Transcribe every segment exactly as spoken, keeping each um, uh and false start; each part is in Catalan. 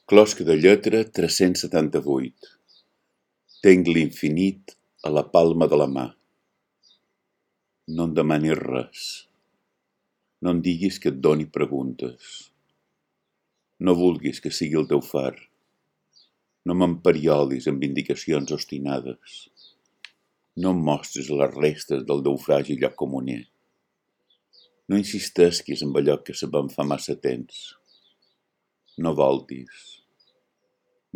Closca de lletra tres-cents setanta-vuit. Tenc l'infinit a la palma de la mà. No em demanis res. No em diguis que et doni preguntes. No vulguis que sigui el teu far. No m'emperiolis amb indicacions obstinades. No em mostris les restes del naufragi lloc comuner. No insistesquis amb allò que sabem fa massa temps. No voltis.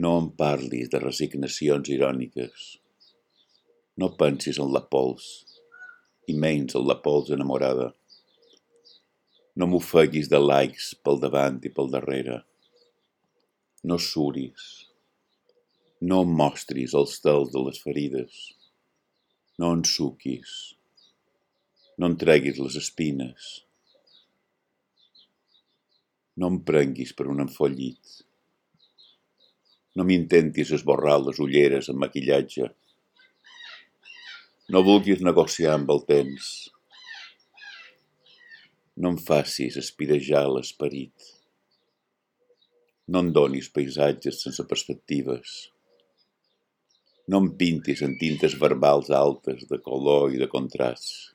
No em parlis de resignacions iròniques. No pensis en la pols, i menys en la pols enamorada. No m'ofeguis de likes pel davant i pel darrere. No suris. No em mostris els tals de les ferides. No ensuquis. No em treguis les espines. No em prenguis per un enfollit. No m'intentis esborrar les ulleres amb maquillatge. No vulguis negociar amb el temps. No em facis espirejar l'esperit. No em donis paisatges sense perspectives. No em pintis en tintes verbals altes de color i de contrast.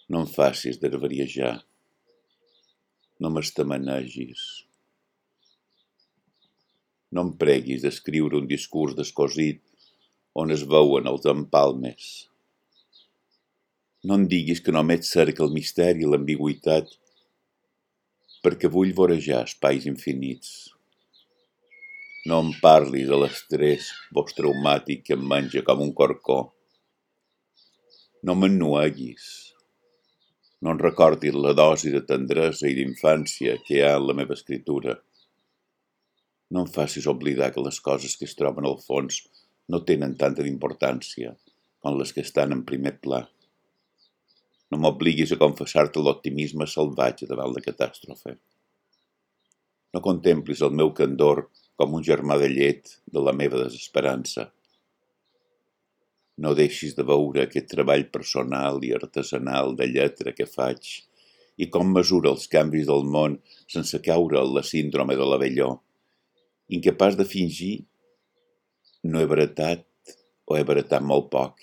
No em facis dervariejar. No m'estamanegis. No em preguis d'escriure un discurs descosit on es veuen els empalmes. No em diguis que només cerca el misteri i l'ambigüitat perquè vull vorejar espais infinits. No em parlis de l'estrès posttraumàtic que em menja com un corcó. No m'ennueguis. No em recordis la dosi de tendresa i d'infància que hi ha en la meva escritura. No em facis oblidar que les coses que es troben al fons no tenen tanta d'importància com les que estan en primer pla. No m'obliguis a confessar-te l'optimisme salvatge davant la catàstrofe. No contemplis el meu candor com un germà de llet de la meva desesperança. No deixis de veure aquest treball personal i artesanal de lletra que faig i com mesura els canvis del món sense caure en la síndrome de l'abelló, incapaç de fingir no he baratat o he baratat molt poc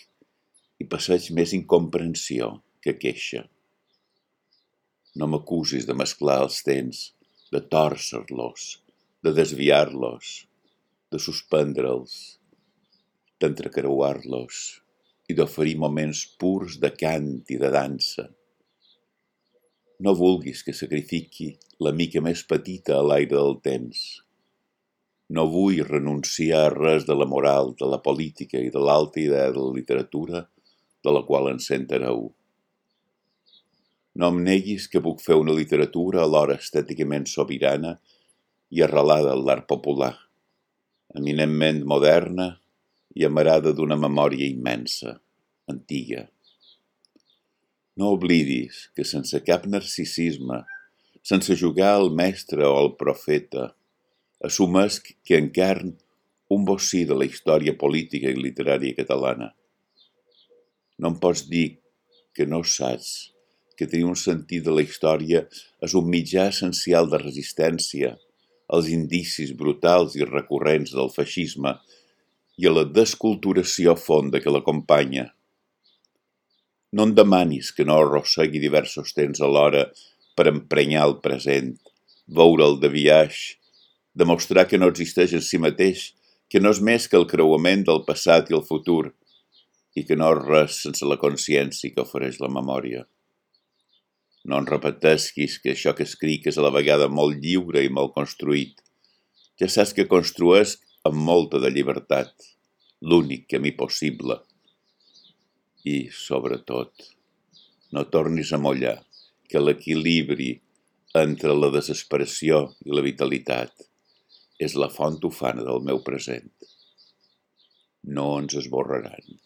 i passeig més incomprensió que queixa. No m'acusis de mesclar els temps, de tòrcer-los, de desviar-los, de suspendre'ls, d'entrecreuar-los i d'oferir moments purs de cant i de dansa. No vulguis que sacrifiqui la mica més petita a l'aire del temps. No vull renunciar a res de la moral, de la política i de l'alta idea de la literatura de la qual ens sentareu. No em neguis que puc fer una literatura alhora estèticament sobirana i arrelada en l'art popular, eminentment moderna i amarada d'una memòria immensa, antiga. No oblidis que sense cap narcisisme, sense jugar al mestre o al profeta, assumesc que encarn un bocí de la història política i literària catalana. No em pots dir que no saps que tenir un sentit de la història és un mitjà essencial de resistència als indicis brutals i recurrents del feixisme i a la desculturació fonda que l'acompanya. No em demanis que no arrossegui diversos temps alhora per emprenyar el present, veure'l de biaix, demostrar que no existeix en si mateix, que no és més que el creuament del passat i el futur, i que no és res sense la consciència que ofereix la memòria. No em repetesquis que això que escric és a la vegada molt lliure i molt construït. Ja saps que construesc amb molta de llibertat, l'únic camí possible. I, sobretot, no tornis a mollar que l'equilibri entre la desesperació i la vitalitat és la font ufana del meu present. No ens esborraran.